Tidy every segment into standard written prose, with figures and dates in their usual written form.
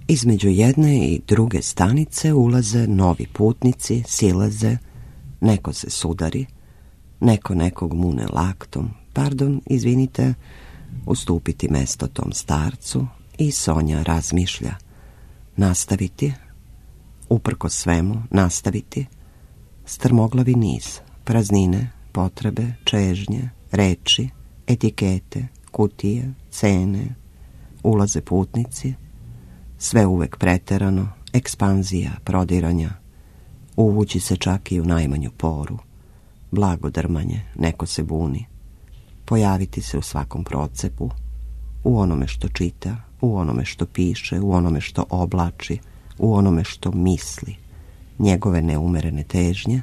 Između jedne i druge stanice ulaze novi putnici, silaze, neko se sudari, neko nekog mune laktom, pardon, izvinite, ustupiti mesto tom starcu, i Sonja razmišlja. Nastaviti, uprko svemu, nastaviti, strmoglavi niz, praznine, potrebe, čežnje, reči, etikete, kutije, cene, ulaze putnici, sve uvek preterano, ekspanzija, prodiranja, uvući se čak i u najmanju poru, blago drmanje, neko se buni, pojaviti se u svakom procepu, u onome što čita, u onome što piše, u onome što oblači, u onome što misli, njegove neumerene težnje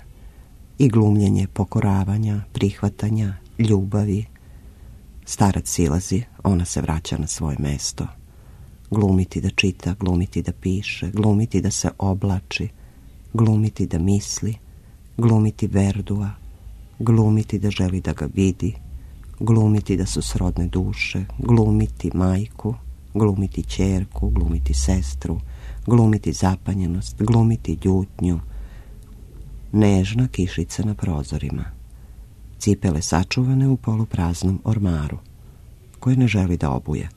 i glumljenje pokoravanja, prihvatanja, ljubavi. Starac silazi, ona se vraća na svoje mesto. Glumiti da čita, glumiti da piše, glumiti da se oblači, glumiti da misli, glumiti Verdua, glumiti da želi da ga vidi, glumiti da su srodne duše, glumiti majku, glumiti ćerku, glumiti sestru, glumiti zapanjenost, glumiti ljutnju. Nežna kišica na prozorima, cipele sačuvane u polupraznom ormaru, koje ne želi da obuje,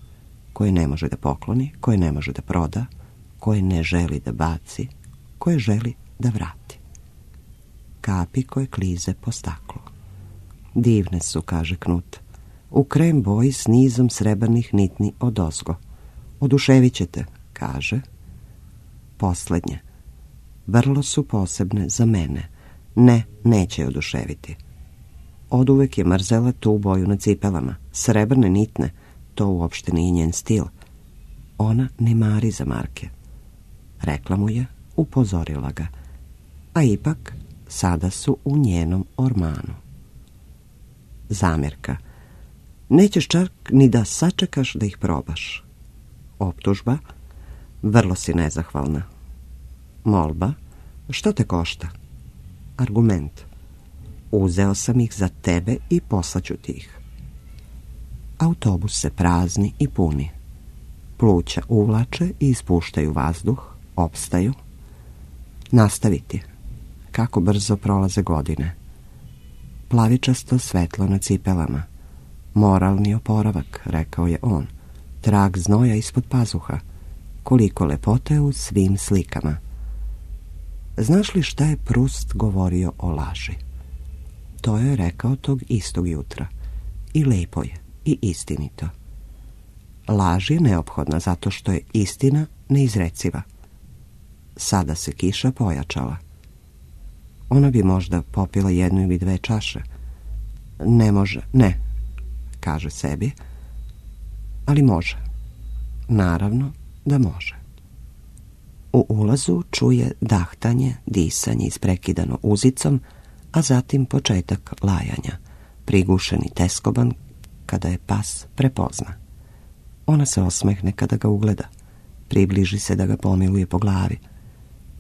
koje ne može da pokloni, koje ne može da proda, koje ne želi da baci, koje želi da vrati. Kapi koje klize po staklu. Divne su, kaže Knut, u krem boji s nizom srebrnih nitni odozgo. Oduševit ćete, kaže. Poslednje. Vrlo su posebne za mene. Ne, neće je oduševiti. Oduvek je mrzela tu boju na cipelama. Srebrne nitne, to uopšte nije njen stil. Ona ne mari za marke. Rekla mu je, upozorila ga. A ipak, sada su u njenom ormanu. Zamjerka. Nećeš čak ni da sačekaš da ih probaš. Optužba. Vrlo si nezahvalna. Molba. Što te košta? Argument. Uzeo sam ih za tebe i poslaću ti ih. Autobus se prazni i puni. Pluća uvlače i ispuštaju vazduh, opstaju. Nastaviti. Kako brzo prolaze godine. Plavičasto svetlo na cipelama. Moralni oporavak, rekao je on. Trag znoja ispod pazuha. Koliko lepote u svim slikama. Znaš li šta je Prust govorio o laži? To je rekao tog istog jutra. I lepo je, i istinito. Laž je neophodna zato što je istina neizreciva. Sada se kiša pojačala. Ona bi možda popila 1 ili 2 čaše. Ne može, ne, kaže sebi, ali može. Naravno da može. U ulazu čuje dahtanje, disanje isprekidano uzicom, a zatim početak lajanja, prigušeni teskoban kada je pas prepozna. Ona se osmehne kada ga ugleda, približi se da ga pomiluje po glavi.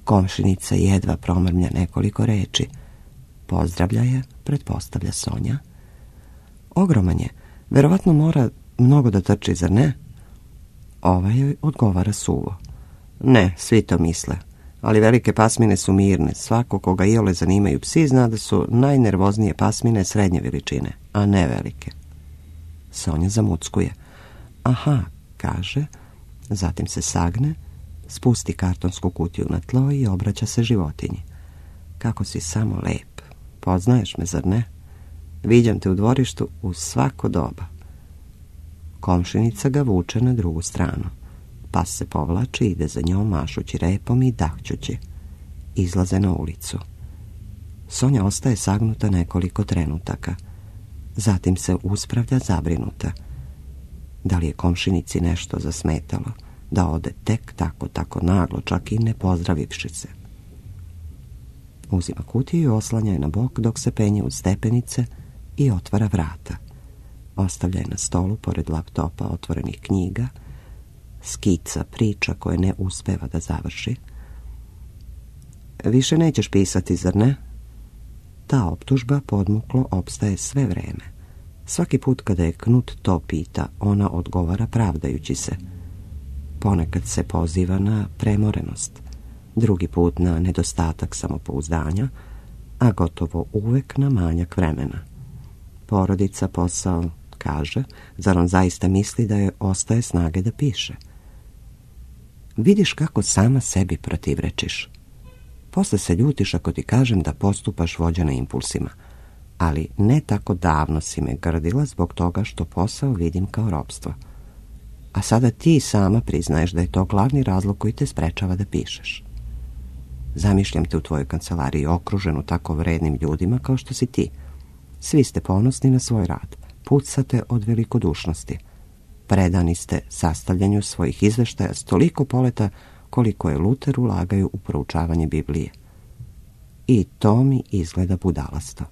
Komšinica jedva promrmlja nekoliko reči. Pozdravlja je, pretpostavlja Sonja. Ogroman je, verovatno mora mnogo da trči, zar ne? Ova joj odgovara suvo. Ne, svi to misle, ali velike pasmine su mirne. Svako koga iole zanimaju psi zna da su najnervoznije pasmine srednje veličine, a ne velike. Sonja zamuckuje. Aha, kaže, zatim se sagne, spusti kartonsku kutiju na tlo i obraća se životinji. Kako si samo lep. Poznaješ me, zar ne? Viđam te u dvorištu u svako doba. Komšinica ga vuče na drugu stranu. Pas se povlači, ide za njom mašući repom i dahćući. Izlaze na ulicu. Sonja ostaje sagnuta nekoliko trenutaka. Zatim se uspravlja zabrinuta. Da li je komšinici nešto zasmetalo? Da ode tek tako naglo, čak i ne pozdravivši se. Uzima kutiju i oslanja je na bok dok se penje uz stepenice i otvara vrata. Ostavlja je na stolu pored laptopa otvorenih knjiga, skica priča koje ne uspeva da završi. Više nećeš pisati, zar ne? Ta optužba podmuklo opstaje sve vreme. Svaki put kada je Knut to pita, ona odgovara pravdajući se. Ponekad se poziva na premorenost, drugi put na nedostatak samopouzdanja, a gotovo uvek na manjak vremena. Porodica, posao, kaže, zar on zaista misli da joj ostaje snage da piše? Vidiš kako sama sebi protivrečiš. Posle se ljutiš ako ti kažem da postupaš vođena impulsima, ali ne tako davno si me grdila zbog toga što posao vidim kao ropstvo. A sada ti sama priznaješ da je to glavni razlog koji te sprečava da pišeš. Zamišljam te u tvojoj kancelariji okruženu tako vrednim ljudima kao što si ti. Svi ste ponosni na svoj rad, pucate od velikodušnosti. Predani ste sastavljanju svojih izveštaja s toliko poleta koliko je Luter ulagaju u proučavanje Biblije. I to mi izgleda budalasto.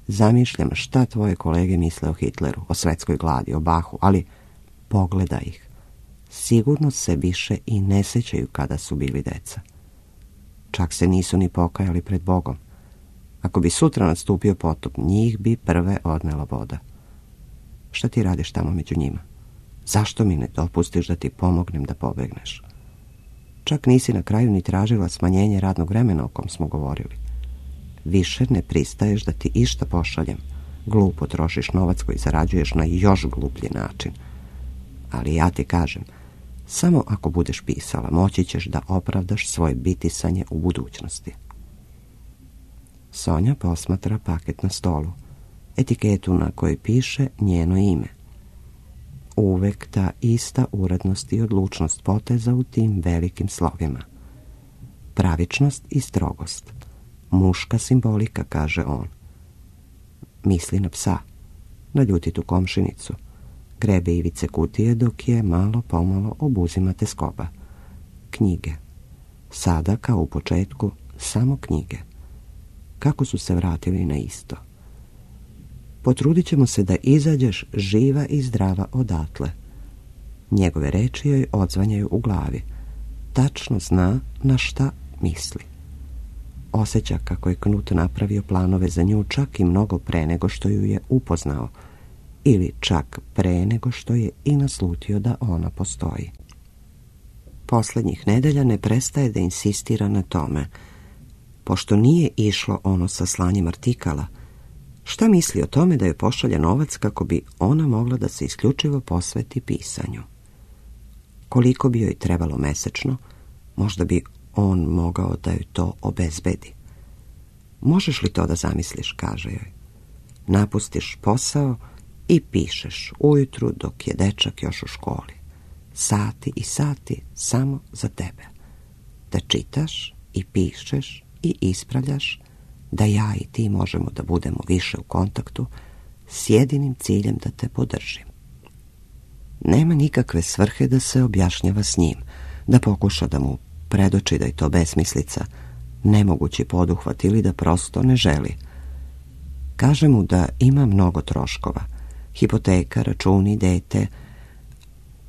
Zamišljam šta tvoje kolege misle o Hitleru, o svetskoj gladi, o Bahu, ali pogledaj ih. Sigurno se više i ne sećaju kada su bili deca. Čak se nisu ni pokajali pred Bogom. Ako bi sutra nastupio potop, njih bi prve odnela voda. Šta ti radiš tamo među njima? Zašto mi ne dopustiš da ti pomognem da pobegneš? Čak nisi na kraju ni tražila smanjenje radnog vremena o kom smo govorili. Više ne pristaješ da ti išta pošaljem. Glupo trošiš novac koji zarađuješ na još gluplji način. Ali ja ti kažem, samo ako budeš pisala, moći ćeš da opravdaš svoje bitisanje u budućnosti. Sonja posmatra paket na stolu, etiketu na kojoj piše njeno ime. Uvek ta ista urednost i odlučnost poteza u tim velikim slovima. Pravičnost i strogost. Muška simbolika, kaže on. Misli na psa, na ljutitu komšinicu. Grebe ivice kutije dok je malo pomalo obuzima teskoba. Knjige. Sada, kao u početku, samo knjige. Kako su se vratili na isto. Potrudit ćemo se da izađeš živa i zdrava odatle. Njegove reči joj odzvanjaju u glavi. Tačno zna na šta misli. Osjeća kako je Knut napravio planove za nju čak i mnogo pre nego što ju je upoznao, ili čak pre nego što je i naslutio da ona postoji. Poslednjih nedelja ne prestaje da insistira na tome. Pošto nije išlo ono sa slanjem artikala, šta misli o tome da joj pošalje novac kako bi ona mogla da se isključivo posveti pisanju? Koliko bi joj trebalo mesečno, možda bi on mogao da joj to obezbedi. Možeš li to da zamisliš, kaže joj. Napustiš posao i pišeš ujutru dok je dečak još u školi. Sati i sati samo za tebe. Da čitaš i pišeš i ispravljaš, da ja i ti možemo da budemo više u kontaktu s jedinim ciljem da te podržim. Nema nikakve svrhe da se objašnjava s njim, da pokuša da mu predoči da je to besmislica, nemogući poduhvat ili da prosto ne želi. Kaže mu da ima mnogo troškova, hipoteka, računi, dete,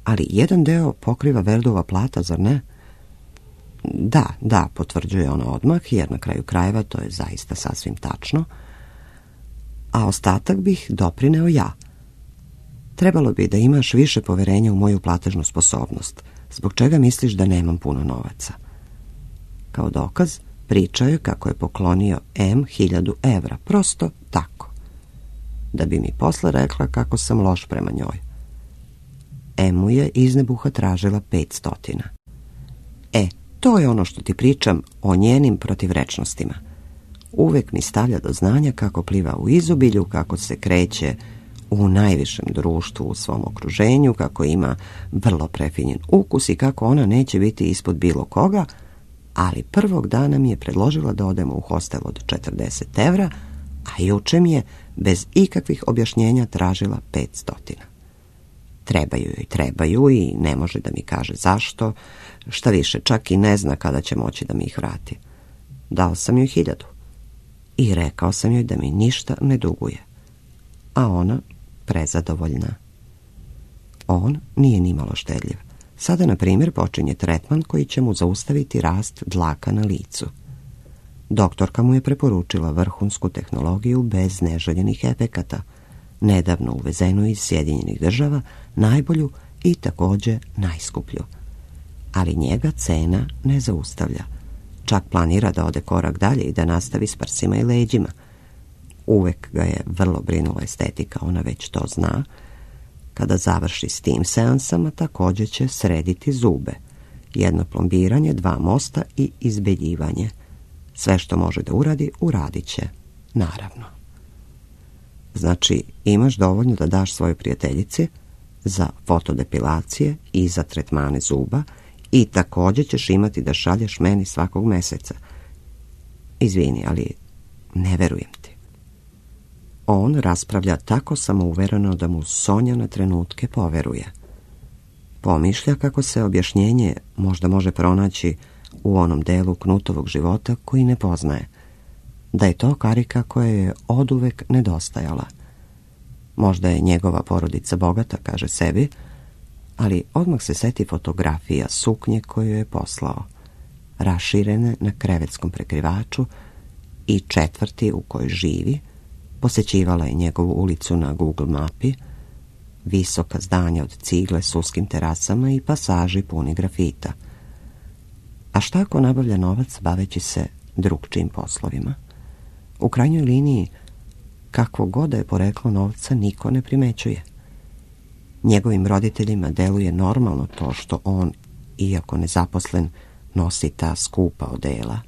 ali jedan deo pokriva Verdova plata, zar ne? Da, potvrđuje ona odmah, jer na kraju krajeva to je zaista sasvim tačno, a ostatak bih doprineo ja. Trebalo bi da imaš više poverenja u moju platežnu sposobnost, zbog čega misliš da nemam puno novaca. Kao dokaz, pričaju kako je poklonio M 1000 evra, prosto tako, da bi mi posle rekla kako sam loš prema njoj. M mu je iz nebuha tražila 500. To je ono što ti pričam o njenim protivrečnostima. Uvek mi stavlja do znanja kako pliva u izobilju, kako se kreće u najvišem društvu u svom okruženju, kako ima vrlo prefinjen ukus i kako ona neće biti ispod bilo koga, ali prvog dana mi je predložila da odemo u hostel od 40 evra, a juče mi je bez ikakvih objašnjenja tražila 500. Trebaju i ne može da mi kaže zašto, šta više, čak i ne zna kada će moći da mi ih vrati. Dao sam joj 1000 i rekao sam joj da mi ništa ne duguje, a ona prezadovoljna. On nije nimalo štedljiv. Sada, na primjer, počinje tretman koji će mu zaustaviti rast dlaka na licu. Doktorka mu je preporučila vrhunsku tehnologiju bez neželjenih efekata, nedavno uvezenu iz Sjedinjenih Država, najbolju i također najskuplju. ali njega cena ne zaustavlja. Čak planira da ode korak dalje i da nastavi s prsima i leđima. Uvek ga je vrlo brinula estetika, ona već to zna. Kada završi s tim seansama, također će srediti zube. 1 plombiranje, 2 mosta i izbeljivanje. Sve što može da uradi, uradit će. Naravno. Znači, imaš dovoljno da daš svojoj prijateljici za fotodepilacije i za tretmane zuba i također ćeš imati da šalješ meni svakog meseca. Izvini, ali ne verujem ti. On raspravlja tako samouvereno da mu Sonja na trenutke poveruje. Pomišlja kako se objašnjenje možda može pronaći u onom delu Knutovog života koji ne poznaje. Da je to karika koja je oduvek nedostajala. Možda je njegova porodica bogata, kaže sebi, ali odmah se seti fotografija suknje koju je poslao, raširene na krevetskom prekrivaču i četvrti u kojoj živi. Posećivala je njegovu ulicu na Google mapi, visoka zdanja od cigle s uskim terasama i pasaži puni grafita. A šta ako nabavlja novac baveći se drugčijim poslovima? U krajnjoj liniji, kakvo god da je poreklo novca, niko ne primećuje. Njegovim roditeljima deluje normalno to što on, iako nezaposlen, nosi ta skupa odela.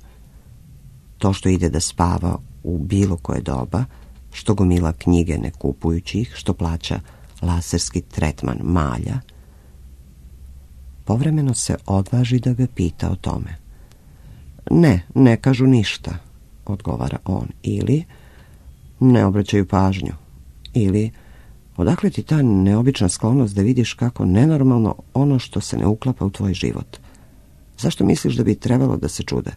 To što ide da spava u bilo koje doba, što gomila knjige ne kupujući ih, što plaća laserski tretman malja. Povremeno se odvaži da ga pita o tome. Ne kažu ništa, odgovara on, ili ne obraćaju pažnju, ili odakle ti ta neobična sklonost da vidiš kako nenormalno ono što se ne uklapa u tvoj život. Zašto misliš da bi trebalo da se čude?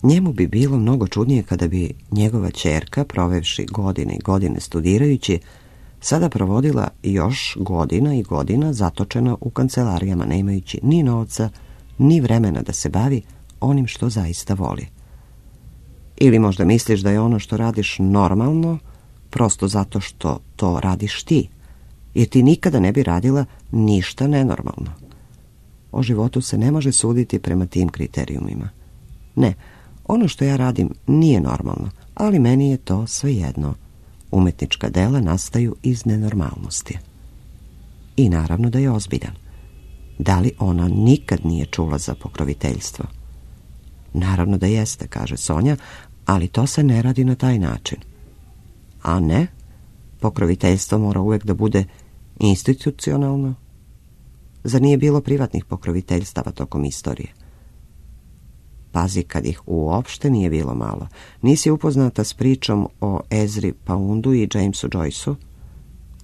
Njemu bi bilo mnogo čudnije kada bi njegova ćerka, provevši godine i godine studirajući, sada provodila još godina i godina zatočena u kancelarijama, ne imajući ni novca, ni vremena da se bavi onim što zaista voli. Ili možda misliš da je ono što radiš normalno, prosto zato što to radiš ti, jer ti nikada ne bi radila ništa nenormalno. O životu se ne može suditi prema tim kriterijumima. Ne, ono što ja radim nije normalno, ali meni je to svejedno. Umetnička dela nastaju iz nenormalnosti. I naravno da je ozbiljan. Da li ona nikad nije čula za pokroviteljstvo? Naravno da jeste, kaže Sonja, ali to se ne radi na taj način. A ne, pokroviteljstvo mora uvek da bude institucionalno. Zar nije bilo privatnih pokroviteljstava tokom istorije? Pazi, kad ih uopšte nije bilo malo. Nisi upoznata s pričom o Ezri Poundu i Jamesu Joyceu?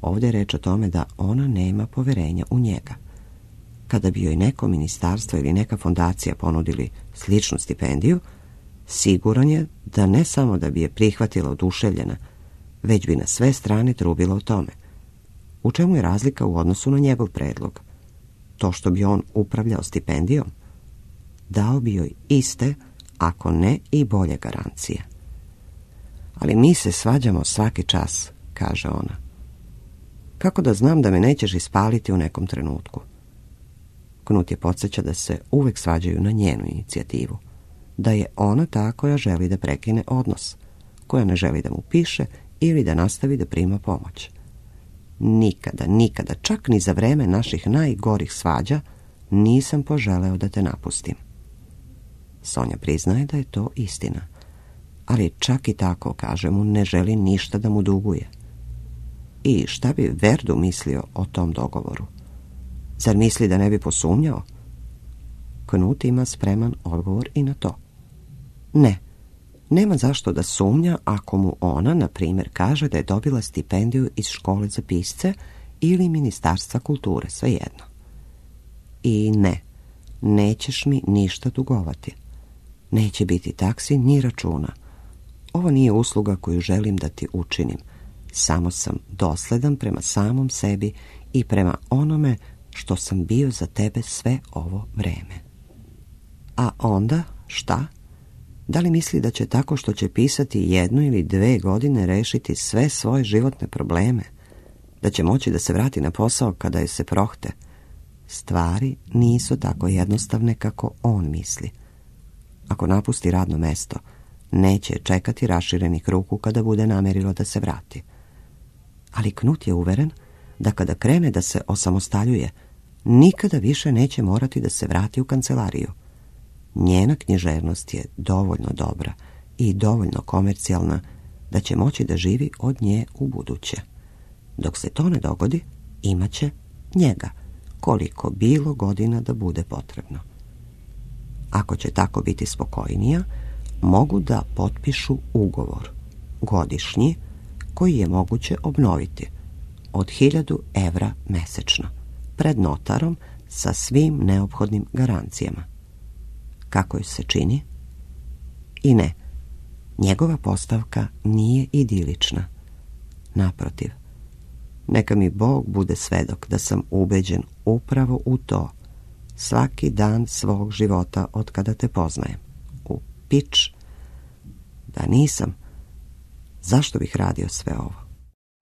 Ovdje je reč o tome da ona nema poverenja u njega. Kada bi joj neko ministarstvo ili neka fondacija ponudili sličnu stipendiju, siguran je da ne samo da bi je prihvatila oduševljena, već bi na sve strane trubila o tome. U čemu je razlika u odnosu na njegov predlog? To što bi on upravljao stipendijom? Dao bi joj iste, ako ne i bolje garancije. Ali mi se svađamo svaki čas, kaže ona. Kako da znam da me nećeš ispaliti u nekom trenutku? Knut je podsjeća da se uvek svađaju na njenu inicijativu. Da je ona ta koja želi da prekine odnos, koja ne želi da mu piše ili da nastavi da prima pomoć. Nikada, čak ni za vreme naših najgorih svađa, nisam poželeo da te napustim. Sonja priznaje da je to istina, ali čak i tako, kaže mu, ne želi ništa da mu duguje. I šta bi Verdu mislio o tom dogovoru? Zar misli da ne bi posumnjao? Knut ima spreman odgovor i na to. Ne, nema zašto da sumnja ako mu ona, na primjer, kaže da je dobila stipendiju iz škole za pisce ili Ministarstva kulture, svejedno. I ne, nećeš mi ništa dugovati. Neće biti taksi ni računa. Ovo nije usluga koju želim da ti učinim. Samo sam dosledan prema samom sebi i prema onome što sam bio za tebe sve ovo vreme. A onda, šta? Da li misli da će tako što će pisati 1 ili 2 godine rešiti sve svoje životne probleme? Da će moći da se vrati na posao kada je se prohte? stvari nisu tako jednostavne kako on misli. Ako napusti radno mesto, neće čekati raširenih ruku kada bude namerilo da se vrati. Ali Knut je uveren da kada krene da se osamostaljuje, nikada više neće morati da se vrati u kancelariju. Njena književnost je dovoljno dobra i dovoljno komercijalna da će moći da živi od nje u buduće. Dok se to ne dogodi, imaće njega, koliko bilo godina da bude potrebno. Ako će tako biti spokojnija, mogu da potpišu ugovor, godišnji, koji je moguće obnoviti, od 1000 evra mesečno, pred notarom sa svim neophodnim garancijama. Kako joj se čini? I ne, njegova postavka nije idilična. Naprotiv, neka mi Bog bude svedok da sam ubeđen upravo u to svaki dan svog života od kada te poznajem. U pič, da nisam, zašto bih radio sve ovo?